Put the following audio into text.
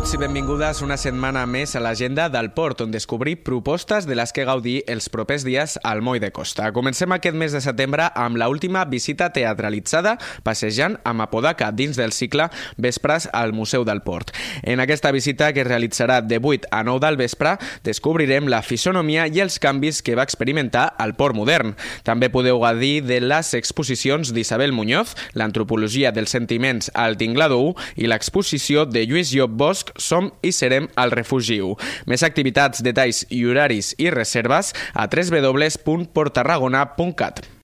Benvinguts i benvingudes una setmana més a l'agenda del Port, on descobrir propostes de les que gaudir els propers dies al Moll de Costa. Comencem aquest mes de setembre amb l'última visita teatralitzada passejant amb Apodaca dins del cicle Vespres al Museu del Port. En aquesta visita, que es realitzarà de 8 a 9 del vespre, descobrirem la fisonomia i els canvis que va experimentar el Port modern. També podeu gaudir de les exposicions d'Isabel Muñoz, l'antropologia dels sentiments al Tinglado 1 i l'exposició de Lluís Llop Bosch, Som i serem al Refugi 1. Més activitats, detalls i horaris i reserves a www.porttarragona.cat.